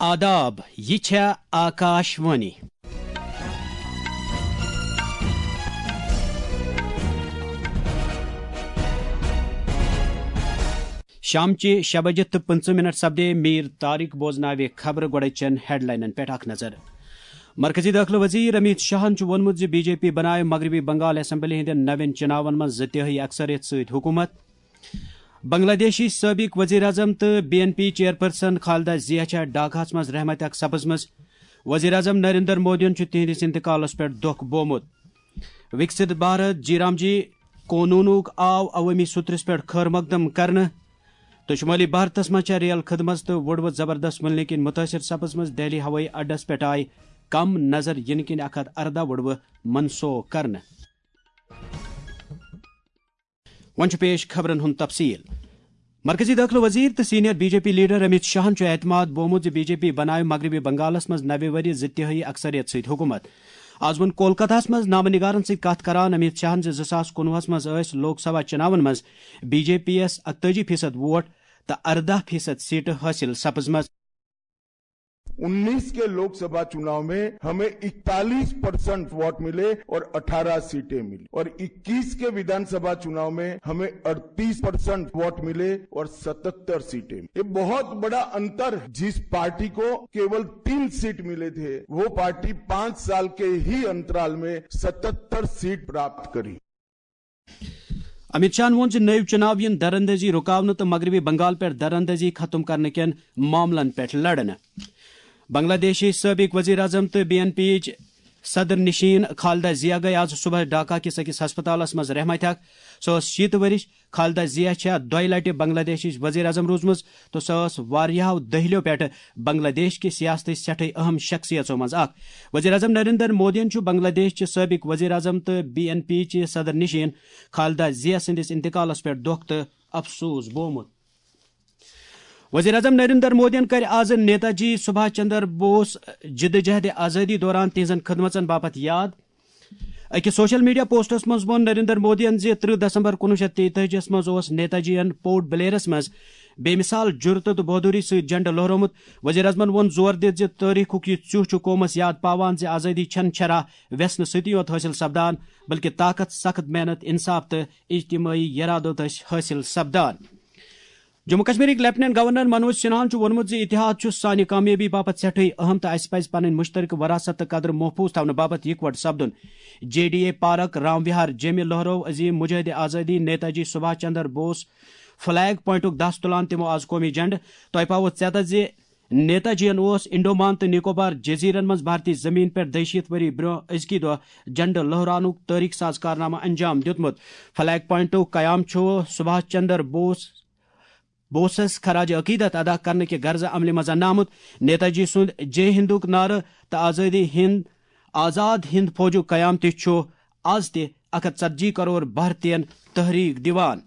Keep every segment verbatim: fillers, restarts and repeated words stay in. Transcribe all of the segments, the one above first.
آداب، یہِ چھےٚ آکاش وانی۔ شامچہِ شےٚ بجہِ تہٕ پٕنٛژٕہ منٹ سپدے۔ میٖر طارق بوزناوِ خبرٕ۔ گۄڈٕ چٮ۪ن ہیڈلاینن پٮ۪ٹھ اکھ نظر۔ مرکزی دٲخلہٕ وزیر امیت شاہن چھُ ووٚنمُت زِ بی جے پی بنایہِ مغربی بنگال اسمبلی ہٕنٛدٮ۪ن نوٮ۪ن چُناون منٛز زٕ تِہٲیی اکثریت سۭتۍ حکوٗمت۔ بنگلہ دیشٕچ سٲبق وزیر اعظم تہٕ B N P chairperson Khaleda Zia چھےٚ ڈھاکہس منٛز رحمتِ حق سپٕزمٕژ۔ وزیر اعظم نریندر مودیَن چھُ تِہنٛدِس انتقالس پٮ۪ٹھ دۄکھ بومُت۔ وکست بھارت جی رام جی قونوٗنُک آو عوٲمی سوٚترِس پٮ۪ٹھ خٲر مقدم کرنہٕ۔ تہٕ شمٲلی بھارتس منٛز چھےٚ ریل خدمت تہٕ وُڑوٕ زبردست ملنہٕ کِنۍ مُتٲثر سپٕزمٕژ۔ دہلی ہوٲیی اڈس پٮ۪ٹھ آیہِ کم نظر یِنہٕ کِنۍ اکھ ہتھ ارداہ وُڑوٕ منسوخ کرنہٕ۔ وۄنۍ چھُ پیش خبرن ہُنٛد تفصیل۔ مرکزی دٲخلہٕ وزیر تہٕ senior B J P leader Amit شاہن چھُ اعتماد بومُت زِ بی جے پی بناوِ مغربی بنگالس منٛز نوِ ؤرۍ زٕ تِہٲیی اکثریت سۭتۍ حکوٗمت۔ آز ووٚن کولکتہس منٛز نامہٕ نگارن سۭتۍ کتھ کران امیت شاہن زِ زٕ ساس کُنوُہس منٛز ٲسۍ لوک سبھا چُناون منٛز بی جے پی یَس اکتٲجی فیصد ووٹ تہٕ ارداہ فیصد سیٹہٕ حٲصِل سپٕزمژٕ۔ उन्नीस के लोकसभा चुनाव में हमें इकतालीस परसेंट वोट मिले और अठारह सीटें मिली, और इक्कीस के विधानसभा चुनाव में हमें अड़तीस परसेंट वोट मिले और सतहत्तर सीटें मिली। ये बहुत बड़ा अंतर है। जिस पार्टी को केवल तीन सीट मिले थे, वो पार्टी पांच साल के ही अंतराल में सतहत्तर सीट प्राप्त करी। امیت شاہن ووٚن زِ نٔوۍ چُناو یِن دراندٲزی رُکاونہٕ تہٕ مغربی بنگال پٮ۪ٹھ دراندٲزی ختم کرنہٕ کٮ۪ن معاملن پٮ۪ٹھ لڑنہٕ۔ بنگلہ دیشٕچ سٲبق وزیر اعظم تہٕ بی این پی یِچ صدر نشین خالدہ ضیاء گٔیہِ آز صبحس ڈھاکہ کِس أکِس ہسپتالس منٛز رحمتِ حق۔ سۄ ٲس شیٖتہٕ ؤرِش۔ خالدہ ضیاء چھےٚ دۄیہِ لٹہِ بنگلہ دیشٕچ وزیر اعظم روٗزمٕژ تہٕ سۄ ٲس واریاہو دٔہلیو پٮ۪ٹھٕ بنگلہ دیش کہِ سیاستٕچ سٮ۪ٹھٕے اہم شخصیژو منٛز اکھ۔ وزیر اعظم نریندر مودیَن چھُ بنگلہ دیش چہِ سٲبق وزیر اعظم تہٕ بی این پی چہِ صدر نشین خالدہ ضیاء سٕنٛدِس انتقالس پٮ۪ٹھ دۄکھ تہٕ افسوس بومُت۔ وزیر اعظم نریندر مودیَن کَرِ آز نیتا جی سبھاش چندر بوس جدوجہد آزادی دوران تِہنٛزن خدمژن باپتھ یاد۔ أکِس سوشل میڈیا پوسٹس منٛز ووٚن نریندر مودیَن زِ ترٕہ دسمبر کُنوُہ شیٚتھ تیٚتٲجی یَس منٛز اوس نیتا جیَن پورٹ بلیئرس منٛز بے مثال جرتہٕ تہٕ بہادری سۭتۍ جھنڈٕ لہرومُت۔ وزیر اعظمن ووٚن زور دِتھ زِ تٲریخُک یہِ ژیوٚہ چھُ قومس یاد پاوان زِ آزادی چھَنہٕ شرح وٮ۪ژھنہٕ سۭتی یوت حٲصِل سپدان، بلکہِ طاقت، سخت محنت، انصاف تہٕ اجتمٲعی یرادو دٔسۍ حٲصِل سپدان۔ جموں کشمیرٕکۍ لیفٹیننٹ گورنر منوج سنہاہن چھُ ووٚنمُت زِ اتحاد چھُ سانہِ کامیٲبی باپتھ سٮ۪ٹھٕے اہم تہٕ اسہِ پزِ پنٕنۍ مشترکہٕ وراثت تہٕ قدر محفوظ تھاونہٕ باپتھ یکوٹہٕ سپدُن۔ J D A park, Ram Vihar, جیمہِ لہرو عظیم مجاہد آزادی نیتا جی سبھاش چندر بوس فلیگ پوائنٹُک دس تُلان تِمو آز قومی جھنڈٕ۔ تۄہہِ پاوو ژیتس زِ نیتا جیَن اوس انڈومان تہٕ نکوبار جزیرن منٛز بھارتی زمین پٮ۪ٹھ دۄیہِ شیٖتھ ؤری برٛونٛہہ أزکہِ دۄہ جھنڈٕ لہراونُک تٲریخ ساز کارنامہٕ انجام دیُتمُت۔ فلیگ پوائنٹُک قیام چھُ سبھاش چندر بوس بوسس خراج عقیدت ادا کرنہٕ کہِ غرضہٕ عملہِ منٛز اننہٕ آمُت۔ نیتا جی سُنٛد جے ہندُک نعرٕ تہٕ آزادی ہند آزاد ہند فوجُک قیام تہِ چھُ آز تہِ اکھ ہتھ ژتجی کرور بھارتین تحریک دِوان۔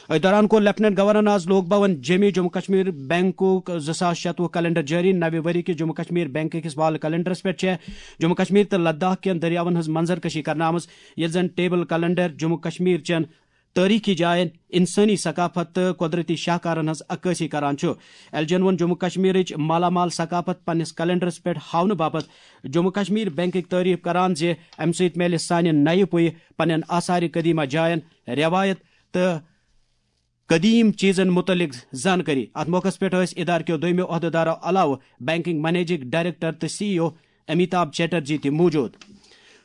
أتھۍ دوران کوٚر لیفٹیننٹ گورنرن آز لوک بھون جیمہِ جموں کشمیر بینکُک زٕ ساس شتوُہ کیلنڈر جٲری۔ نوِ ؤری کِس جموں کشمیر بینک کِس وال کیلنڈرس پٮ۪ٹھ چھےٚ جموں کشمیر تہٕ لداخ کٮ۪ن دٔریاون ہٕنٛز منظر کشی کرنہٕ آمٕژ، ییٚلہِ زن ٹیبل کیلنڈر جموں کشمیر چٮ۪ن تٲریخی جاین، انسٲنی ثقافت تہٕ قۄدرتی شاہکارن ہٕنٛز عکٲسی کران چھُ۔ ایل جی ین ووٚن جموں کشمیرٕچ مالا مال ثقافت پننِس کیلنڈرس پٮ۪ٹھ ہاونہٕ باپتھ جموں کشمیر بینکٕکۍ تعریف کران زِ امہِ سۭتۍ میلہِ سانہِ نَیہِ پُیہِ پننٮ۪ن آثار قدیمہ جاین، رٮ۪وایت تہٕ قدیم چیزن متعلق زانکٲری۔ اتھ موقعس پٮ۪ٹھ ٲسۍ ادارٕ کیو دویمو عہدیدارو علاوٕ بینکنگ منیجنگ ڈائریکٹر تہٕ سی ای او امیتابھ چیٹرجی تہِ موجود۔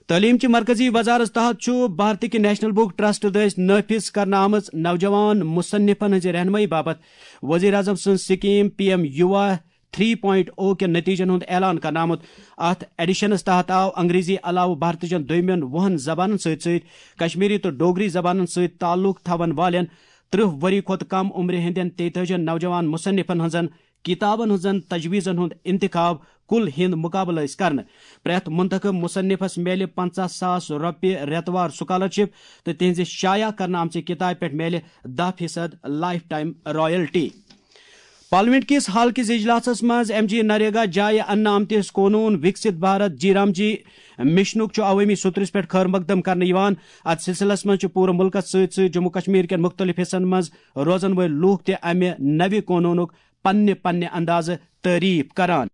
تعلیم چہِ مرکزی وزارت تحت چھُ بھارتٕکۍ نیشنل بک ٹرسٹ دٔسۍ نافذ کرنہٕ آمٕژ نوجوان مصنفن ہٕنٛزِ رہنمٲیی باپتھ وزیر اعظم سٕنٛز سکیم پی ایم یووا تھری پوائنٹ او کٮ۪ن نتیجن ہُنٛد اعلان کرنہٕ آمُت۔ اتھ ایڈیشنس تحت آو انگریزی علاوٕ بھارتٕچن دویمٮ۪ن وُہن زبانن سۭتۍ سۭتۍ کشمیری تہٕ ڈوگری زبانن سۭتۍ تعلق تھاون والٮ۪ن ترٕہ ؤری کھۄتہٕ کم عمرِ ہٕنٛدٮ۪ن تیتٲجی نوجوان مصنفن ہٕنٛزن کتابن ہٕنٛزن تجویزن ہُنٛد انتخاب کل ہند مقابلہٕ ٲسۍ کرنہٕ۔ پرٛٮ۪تھ منتخب مصنفس میلہِ پنژاہ ساس رۄپیہِ رٮ۪توار سکالرشپ تہٕ تہنٛزِ شایع کرنہٕ آمژِ کتابہِ پٮ۪ٹھ میلہِ دَہ فیصد لائف ٹائم رائلٹی۔ پارلیمنٹ کِس حال کِس اجلاسس منٛز ایم جی نریگا جایہِ اننہٕ آمتِس قونوٗن وکست بھارت جی رام جی مشنُک چھُ عوٲمی سوٚترِس پٮ۪ٹھ خٲر مقدم کرنہٕ یِوان۔ اتھ سلسلس منٛز چھِ پوٗرٕ مُلکس سۭتۍ سۭتۍ جموں کشمیر کٮ۪ن مُختٔلِف حصن منٛز روزن وٲلۍ لوٗکھ تہِ امہِ نوِ قونوٗنُک پننہِ پننہِ اندازٕ تعریف کران۔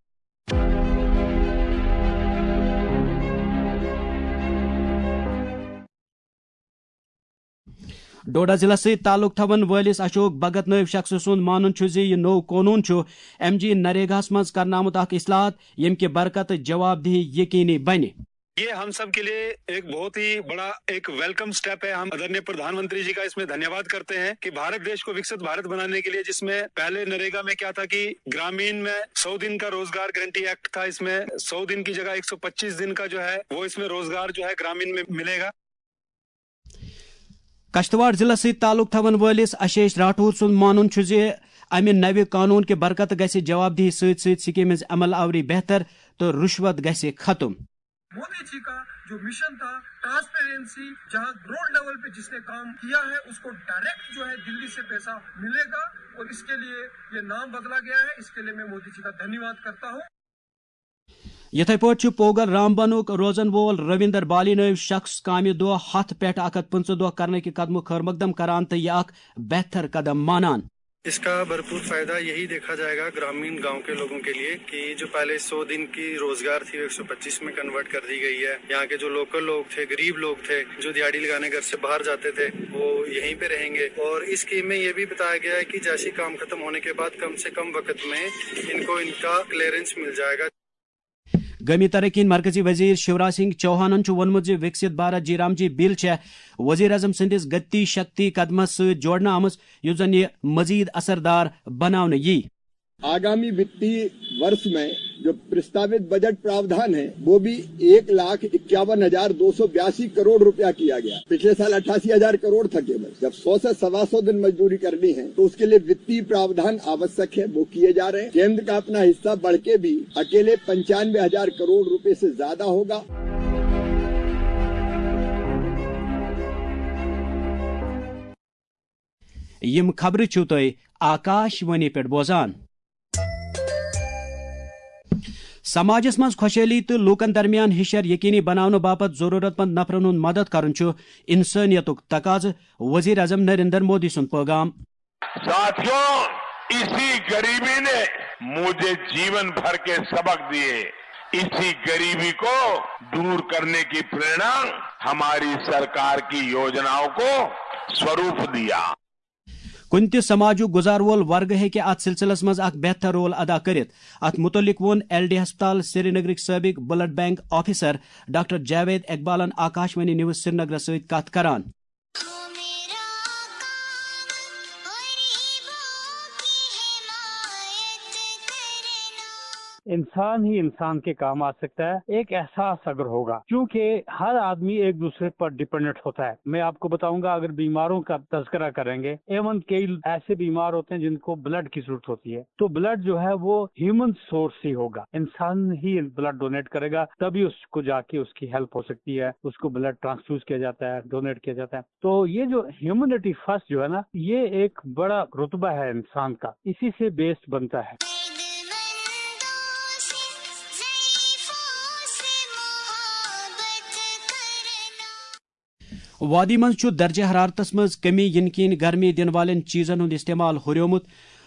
ڈوڈہ ضلعس سۭتۍ تعلق تھاون وٲلِس اشوک بھگت نٲوۍ شخصہٕ سُنٛد مانُن چھُ زِ یہِ نوٚو قونوٗن چھُ ایم جی نریگاہَس منٛز کرنہٕ آمُت اکھ اصلاحات، ییٚمہِ کہِ برکتہٕ جواب دہی یقینی بنہِ۔ ये हम सब के लिए एक बहुत ही बड़ा एक वेलकम स्टेप है। हम आदरणीय प्रधानमंत्री जी का इसमें धन्यवाद करते हैं कि भारत देश को विकसित भारत बनाने के लिए, जिसमें पहले नरेगा में क्या था कि ग्रामीण में सौ दिन का रोजगार गारंटी एक्ट था, इसमें सौ दिन की जगह एक सौ पच्चीस दिन का जो है वो इसमें रोजगार जो है ग्रामीण में मिलेगा। کشتواڑ ضلعس سۭتۍ تعلق تھاون وٲلِس اشیش راٹھور سُنٛد مانُن چھُ زِ امہِ نوِ قانون کہِ برکتہٕ گژھِ جواب دہی سۭتۍ سۭتۍ سکیمہِ ہٕنٛز عمل آوری بہتر تہٕ رُشوت گژھِ ختم۔ मोदी जी का जो मिशन था ट्रांसपेरेंसी, जहां ग्राउंड लेवल पे जिसने काम किया है उसको डायरेक्ट जो है दिल्ली से पैसा मिलेगा, और इसके लिए ये नाम बदला गया है। इसके लिए मैं मोदी जी का धन्यवाद करता हूँ। یِتھے پٲٹھۍ چھُ پوگل رامبنُک روزن وول رویندر بالی نٲوۍ شخص کامہِ دۄہ ہتھ پٮ۪ٹھ اکھ ہتھ پٕنٛژٕہ دۄہ کرنہٕ کہِ قدمُک خٲرمقدم کران تہٕ یہِ اکھ بہتر قدم مانان۔ इसका भरपूर फायदा यही देखा जाएगा ग्रामीण गांव के लोगों के लिए कि जो पहले सौ दिन की रोजगार थी, वो एक सौ पच्चीस में कन्वर्ट कर दी गई है। यहाँ के जो लोकल लोग थे, गरीब लोग थे, जो दिहाड़ी लगाने घर से बाहर जाते थे, वो यहीं पे रहेंगे। और इस स्कीम में ये भी बताया गया है कि जैसे ही काम खत्म होने के बाद कम से कम वक्त में इनको इनका क्लियरेंस मिल जाएगा। قومی ترقی ہٕنٛدۍ مرکزی وزیر شیوراج سنگھ چوہانن چھُ ووٚنمُت زِ وکسِت بھارت جی رام جی بل چھےٚ وزیر اعظم سٕنٛدِس گتی شکتی قدمس سۭتۍ جوڑنہٕ آمٕژ، یُس زن یہِ مزید اثردار بناونہٕ یِیہِ۔ आगामी वित्तीय वर्ष में जो प्रस्तावित बजट प्रावधान है, वो भी एक लाख इक्यावन हजार दो सौ बयासी करोड़ रुपया किया गया। पिछले साल अट्ठासी हजार करोड़ था केवल। जब सौ से सवा सौ दिन मजदूरी करनी है, तो उसके लिए वित्तीय प्रावधान आवश्यक है, वो किए जा रहे हैं। केंद्र का अपना हिस्सा बढ़ के भी अकेले पंचानवे हजार करोड़ रुपए से ज्यादा होगा। یِم خبرٕ چھِو تُہۍ آکاش وانی پٮ۪ٹھ بوزان۔ سماجس منٛز خۄشحٲلی تہٕ لوٗکن درمیان ہِشر یقینی بناونہٕ باپتھ ضروٗرت مند نفرن ہُنٛد مدد کرُن چھُ انسٲنیتُک تقاضہٕ، وزیر اعظم نریندر مودی سُنٛد پٲغام۔ साथियों, इसी गरीबी ने मुझे जीवन भर के सबक दिए। इसी गरीबी को दूर करने की प्रेरणा हमारी सरकार की योजनाओं को स्वरूप दिया। کُنہِ تہِ سماجُک گُزار وول ورگہٕ ہیٚکہِ اتھ سلسلس منٛز اکھ بہتر رول ادا کٔرِتھ۔ اتھ مُتعلق ووٚن ایل ڈی ہسپتال سرینگرٕکۍ سٲبق blood bank officer doctor Javed اقبالن آکاشوانی نیوز سرینگرس سۭتۍ کتھ کران۔ انسان ہی انسان کے کام آ سکتا ہے، ایک احساس اگر ہوگا، کیونکہ ہر آدمی ایک دوسرے پر ڈیپینڈنٹ ہوتا ہے۔ میں آپ کو بتاؤں گا، اگر بیماروں کا تذکرہ کریں گے، ایون کئی ایسے بیمار ہوتے ہیں جن کو بلڈ کی ضرورت ہوتی ہے، تو بلڈ جو ہے وہ ہیومن سورس ہی ہوگا، انسان ہی بلڈ ڈونیٹ کرے گا، تبھی اس کو جا کے اس کی ہیلپ ہو سکتی ہے، اس کو بلڈ ٹرانسفیوز کیا جاتا ہے، ڈونیٹ کیا جاتا ہے۔ تو یہ جو ہیومنٹی فرسٹ جو ہے نا، یہ ایک بڑا رتبہ ہے انسان کا، اسی سے بیسڈ بنتا ہے۔ وادی منٛز چھُ درجہ حرارتس منٛز کمی یِنہٕ کِنۍ گرمی دِنہٕ والٮ۪ن چیٖزن ہُنٛد استعمال ہُریومُت۔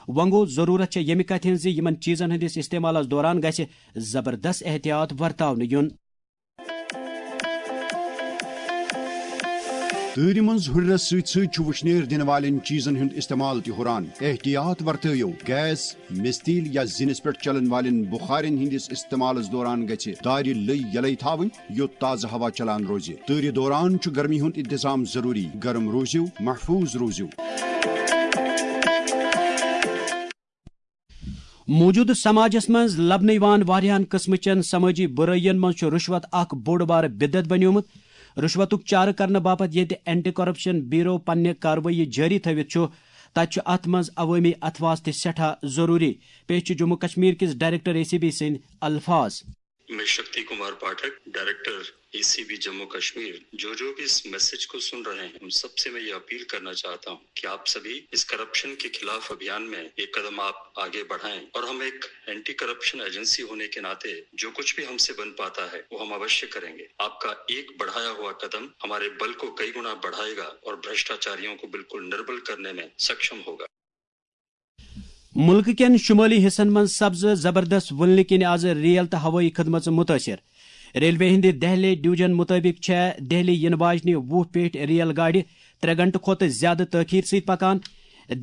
وۄنۍ گوٚو، ضروٗرت چھےٚ ییٚمہِ کتھِ ہٕنٛز زِ یِمن چیٖزن ہٕنٛدِس استعمالس دوران گژھِ زبردست احتیاط ورتاونہٕ یُن۔ تۭرِ منٛز ہُرٮ۪رس سۭتۍ سۭتۍ چھُ وُشنیر دِنہٕ والٮ۪ن چیٖزن ہُنٛد استعمال تہِ ہُران۔ احتیاط ورتٲیِو، گیس، مِستیٖل یا زِنِس پٮ۪ٹھ چلن والٮ۪ن بُخارٮ۪ن ہٕنٛدِس استعمالس دوران گژھِ دارِ لٔۍ یلے تھاوٕنۍ، یوٚت تازٕ ہوا چلان روزِ۔ تۭرِ دوران چھُ گرمی ہُنٛد انتظام ضروٗری۔ گرم روٗزِو، محفوٗظ روٗزِو۔ موجودٕ سماجس منٛز لبنہٕ یِوان واریاہن قٕسمٕچن سمٲجی بُرٲیین منٛز چھُ رُشوت اکھ بوٚڑ بارٕ بدعت بنیومُت۔ رُشوتُک چارٕ کرنہٕ باپتھ ییٚتہِ اینٹی کرپشن بیورو پننہِ کاروٲیی جٲری تھٲوِتھ چھُ، تتہِ چھُ اتھ منٛز عوٲمی اتھواز تہِ سٮ۪ٹھاہ ضروٗری۔ پیش چھِ جموں کشمیر کِس ڈائریکٹر اے سی بی سٕنٛدۍ الفاظ۔ میں Shakti Kumar Pathak, director A C B Jammu Kashmir, جو جو بھی اس میسج کو سن رہے ہیں، ان سب سے میں یہ اپیل کرنا چاہتا ہوں کہ آپ سبھی اس کرپشن کے خلاف ابھیان میں ایک قدم آپ آگے بڑھائیں اور ہم ایک اینٹی کرپشن ایجنسی ہونے کے ناطے جو کچھ بھی ہم سے بن پاتا ہے، وہ ہم اوشیہ کریں گے۔ آپ کا ایک بڑھایا ہوا قدم ہمارے بل کو کئی گنا بڑھائے گا اور بھرشٹاچاریوں کو بالکل نرمل کرنے میں سکشم ہوگا۔ ملکہٕ کٮ۪ن شمٲلی حصن منٛز سپزٕ زبردست وُلنہٕ کِنۍ آز ریل تہٕ ہوٲیی خدمژٕ مُتٲثر۔ ریلوے ہٕنٛدِ دہلی ڈویژن مُطٲبِق چھےٚ دہلی یِنہٕ واجنہِ وُہ پیٹھۍ ریل گاڑِ ترٛےٚ گھنٹہٕ کھۄتہٕ زیادٕ تٲخیر سۭتۍ پکان۔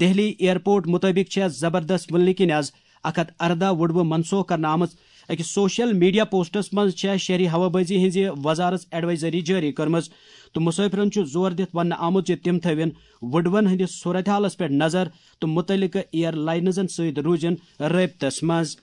دہلی ایئرپورٹ مُطٲبِق چھےٚ زبردست وُلنہٕ کِنۍ آز اکھ ہتھ ارداہ وُڈوٕ منسوخ کرنہٕ آمٕژ۔ أکِس سوشل میڈیا پوسٹس منٛز چھےٚ شہری ہوابازی ہٕنٛزِ وزارت ایڈوائزری جٲری کٔرمٕژ تہٕ مسافرن چھُ زور دِتھ وننہٕ آمُت زِ تِم تھٲوِن وُڈوَن ہٕنٛدِس صورتحالس پٮ۪ٹھ نظر تہٕ مُتعلقہٕ ایئر لائنزن سۭتۍ روٗزِن رٲبطس منٛز۔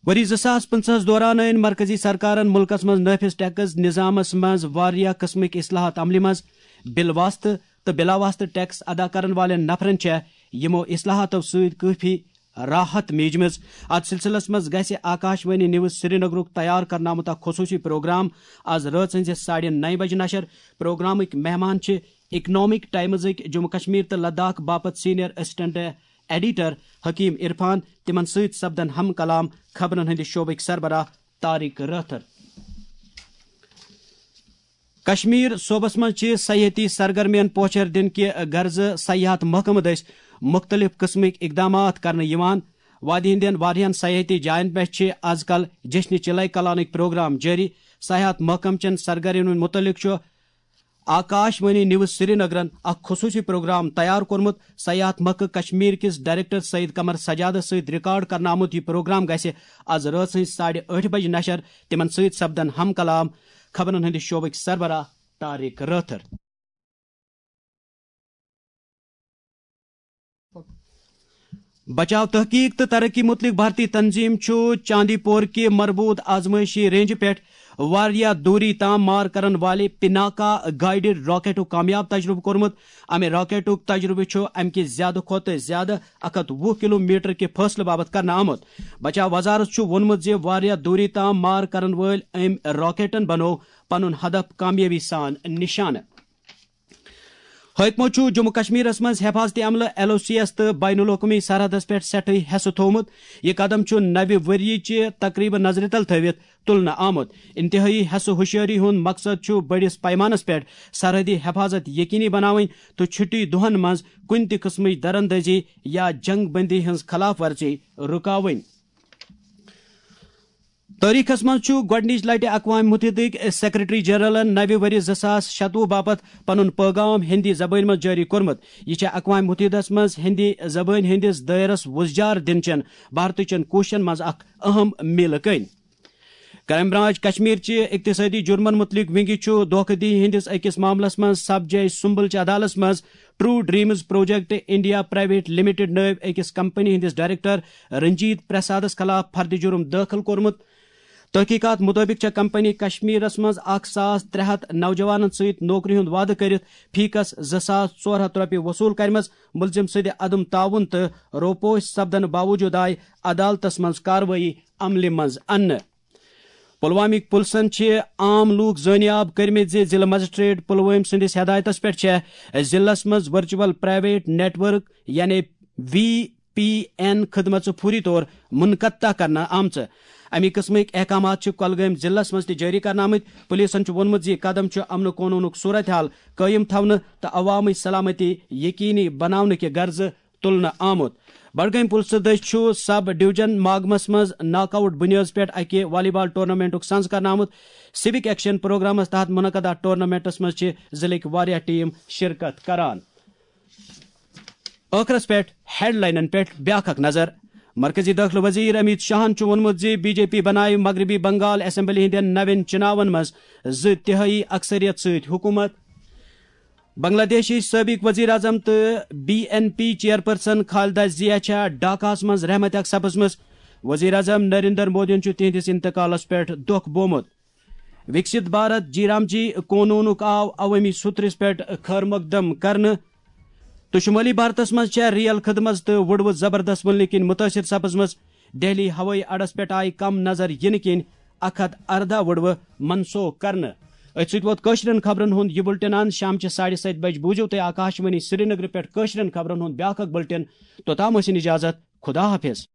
ؤری زٕ ساس پٕنٛژٕہس دوران أنۍ مرکزی سرکارن مُلکس منٛز نٲفِذ ٹیکس نظامس منٛز واریاہ قٕسمٕکۍ اصلاحات عملہِ منٛز۔ بِل واسطہٕ تہٕ بِلا واسطہٕ ٹیکس ادا کرن والٮ۪ن نفرن چھےٚ یِمو اصلاحاتو سۭتۍ کٲفی راحت میجمٕژ۔ اتھ سلسلس منٛز گژھِ آکاش وانی نیوز سرینگرُک تیار کرنہٕ آمُت اکھ خصوٗصی پروگرام آز رٲژ ہٕنزِ ساڑِ نَیہِ بجہِ نشر۔ پروگرامٕکۍ مہمان چھِ اکنامک ٹائمزٕکۍ جموں کشمیر تہٕ لداخ باپتھ سینئر اسسٹنٹ ایڈیٹر حکیم عرفان۔ تِمن سۭتۍ سپدن ہم کلام خبرن ہٕنٛدِ شعبٕکۍ سربراہ طارق رٲتھر۔ کشمیر صوبس منٛز چھِ سیاحتی سرگرمین پوچھر دِنہٕ کہِ غرضہٕ سیاحت محکمہٕ دٔسۍ مُختٔلِف قٕسمٕکۍ اقدامات کرنہٕ یِوان۔ وادی ہٕنٛدٮ۪ن واریاہن سیاحتی جاین پٮ۪ٹھ چھِ از کل جشن چلے کلانٕکۍ پروگرام جٲری۔ سیاحت محکمہٕ چٮ۪ن سرگرمین مُتعلق چھُ آکاش وانی نیوز سرینگرن اکھ خصوٗصی پروگرام تیار کوٚرمُت۔ سیاحت محکمہٕ کشمیر کِس ڈائریکٹر سعید قمر سجادس سۭتۍ ریکارڈ کرنہٕ آمُت یہِ پروگرام گژھِ از رٲژ ہٕنٛزِ ساڑِ ٲٹھِ بجہِ نشر۔ تِمن سۭتۍ سپدن ہم کلام خبرن ہٕنٛدِ شعبٕکۍ سربراہ طارق رٲتھر۔ بچاو تحقیق تہٕ ترقی متعلق بھارتی تنظیم چھُ چاندی پور کہِ مربوط آزمائشی رینجہِ پٮ۪ٹھ واریاہ دوٗری تام مار کرن والہِ پناکا گائیڈڈ راکٹُک کامیاب تجربہٕ کوٚرمُت۔ امہِ راکٹُک تجربہٕ چھُ امہِ کہِ زیادٕ کھۄتہٕ زیادٕ اکھ ہتھ وُہ کلومیٹر کہِ فٲصلہٕ باپتھ کرنہٕ آمُت۔ بچاو وزارت چھُ ووٚنمُت زِ واریاہ دوٗری تام مار کرن وٲلۍ أمۍ راکٹن بنوو پنُن ہدف کامیٲبی سان نشانہٕ۔ حٲکمو چھُ جموں کشمیرس منٛز حفاظتی عملہٕ، ایل او سی ایس تہٕ بین الاقوٲمی سرحدس پٮ۪ٹھ سٮ۪ٹھٕے حصہٕ تھوومُت۔ یہِ قدم چھُ نوِ ؤرۍ یہِ چہِ تقریبہٕ نظرِ تل تھٲوِتھ تُلنہٕ آمُت۔ انتہٲئی حصہٕ ہوشیٲری ہُنٛد مقصد چھُ بٔڑِس پیمانس پٮ۪ٹھ سرحدی حفاظت یقینی بناوٕنۍ تہٕ چھُٹی دۄہن منٛز کُنہِ تہِ قٕسمٕچ دراندازی یا جنگ بندی ہٕنٛز خلاف ورزی رُکاوٕنۍ۔ تٲریخس منٛز چھُ گۄڈٕنِچ لٹہِ اقوام متحدٕکۍ سیکرٹری جنرلن نوِ ؤرِ زٕ ساس شتوُہ باپتھ پنُن پٲغام ہندی زبٲنۍ منٛز جٲری کوٚرمُت۔ یہِ چھےٚ اقوام متحدس منٛز ہندی زبٲنۍ ہٕنٛدِس دٲیرس وُزجار دِنہٕ چٮ۪ن بھارتٕچٮ۪ن کوٗششن منٛز اکھ اہم میٖلہٕ کٔنۍ۔ کرائم برانچ کشمیر چہِ اقتصٲدی جُرمن مُتعلق ونگہِ چھُ دھوکہ دہی ہٕنٛدِس أکِس معاملس منٛز سب جج سمبل چہِ عدالتس منٛز true dreams project India private limited نٲوۍ أکِس کمپنی ہٕنٛدِس ڈائریکٹر رنجیت پرسادس خلاف فرد جرم دٲخل کوٚرمُت۔ تحقیقات مُطٲبِق چھےٚ کمپنی کشمیرس منٛز اکھ ساس ترٛےٚ ہتھ نوجوانن سۭتۍ نوکری ہُنٛد وعدٕ کٔرِتھ فی کس زٕ ساس ژور ہتھ رۄپیہِ وصوٗل کرِمژ۔ مُلزِم سٕنٛدِ عدم تعاون تہٕ روپوش سپدنہٕ باوجوٗد آیہِ عدالتس منٛز کاروٲیی عملہِ منٛز اننہٕ۔ پلوامٕکۍ پُلسن چھِ عام لوٗکھ زٲنیاب کٔرمٕتۍ زِ ضلعہٕ مجسٹریٹ پلوٲمۍ سٕنٛدِس ہدایتس پٮ۪ٹھ چھےٚ ضلعس منٛز ورچوئل پرائیویٹ نیٹ ورک یعنی وی پی این خدمژٕ فوری طور منقطع کرنہٕ آمژٕ۔ اَمہِ قٕسمٕکۍ احکامات چھِ کۄلگٲمۍ ضلعس منٛز تہِ جٲری کرنہٕ آمٕتۍ۔ پُلیٖسن چھُ ووٚنمُت زِ یہِ قدم چھُ امن و قونوٗنُک صورت حال قٲیِم تھاونہٕ تہٕ عوامٕچ سلامتی یقینی بناونہٕ کہِ غرضہٕ تُلنہٕ آمُت۔ بڈگٲمۍ پُلسہٕ دٔسۍ چھُ سب ڈویژن ماگمس منٛز ناک آؤٹ بُنیٲدس پٮ۪ٹھ اَکہِ والی بال ٹورنامنٹُک سنز کرنہٕ آمُت۔ سیوک ایکشن پروگرامس تحت منعقدہ ٹورنامنٹس منٛز چھِ ضلعٕکۍ واریاہ ٹیم شرکت کران۔ ٲخرس پٮ۪ٹھ ہیڈ لائنن پٮ۪ٹھ بیاکھ اکھ نظر۔ مرکزی دٲخلہٕ وزیر امیت شاہن چھُ ووٚنمُت زِ بی جے پی بنایہِ مغربی بنگال اسمبلی ہٕنٛدٮ۪ن نوٮ۪ن چُناون منٛز زٕ تِہٲیی اکثریت سۭتۍ حکوٗمت۔ بنگلہ دیشٕچ سٲبق وزیر اعظم تہٕ B N P chairperson Khaleda Zia چھےٚ ڈھاکہس منٛز رحمتِ حق سپٕزمٕژ۔ وزیر اعظم نریندر مودیَن چھُ تِہنٛدِس انتقالس پٮ۪ٹھ دۄکھ بومُت۔ وکست بھارت جی رام جی قونوٗنُک آو عوٲمی سوٚترِس پٮ۪ٹھ خٲر مقدم کرنہٕ تہٕ شمٲلی بھارتس منٛز چھےٚ ریل خدمژ تہٕ وُڈوٕ زبردست وُلنہٕ کِنۍ مُتٲثر سپٕزمٕژ۔ دہلی ہوٲیی اڈس پٮ۪ٹھ آیہِ کم نظر یِنہٕ کِنۍ اکھ ہتھ ارداہ وُڈوٕ منسوخ کرنہٕ۔ أتھۍ سۭتۍ ووت کٲشرٮ۪ن خبرن ہُنٛد یہِ بُلٹن اند۔ شامچہِ ساڑِ ستہِ بجہِ بوٗزِو تُہۍ آکاشوانی سرینگرٕ پٮ۪ٹھ کٲشرٮ۪ن خبرن ہُنٛد بیٛاکھ اکھ بُلٹن۔ توٚتام ٲسِن اجازت، خدا حافظ۔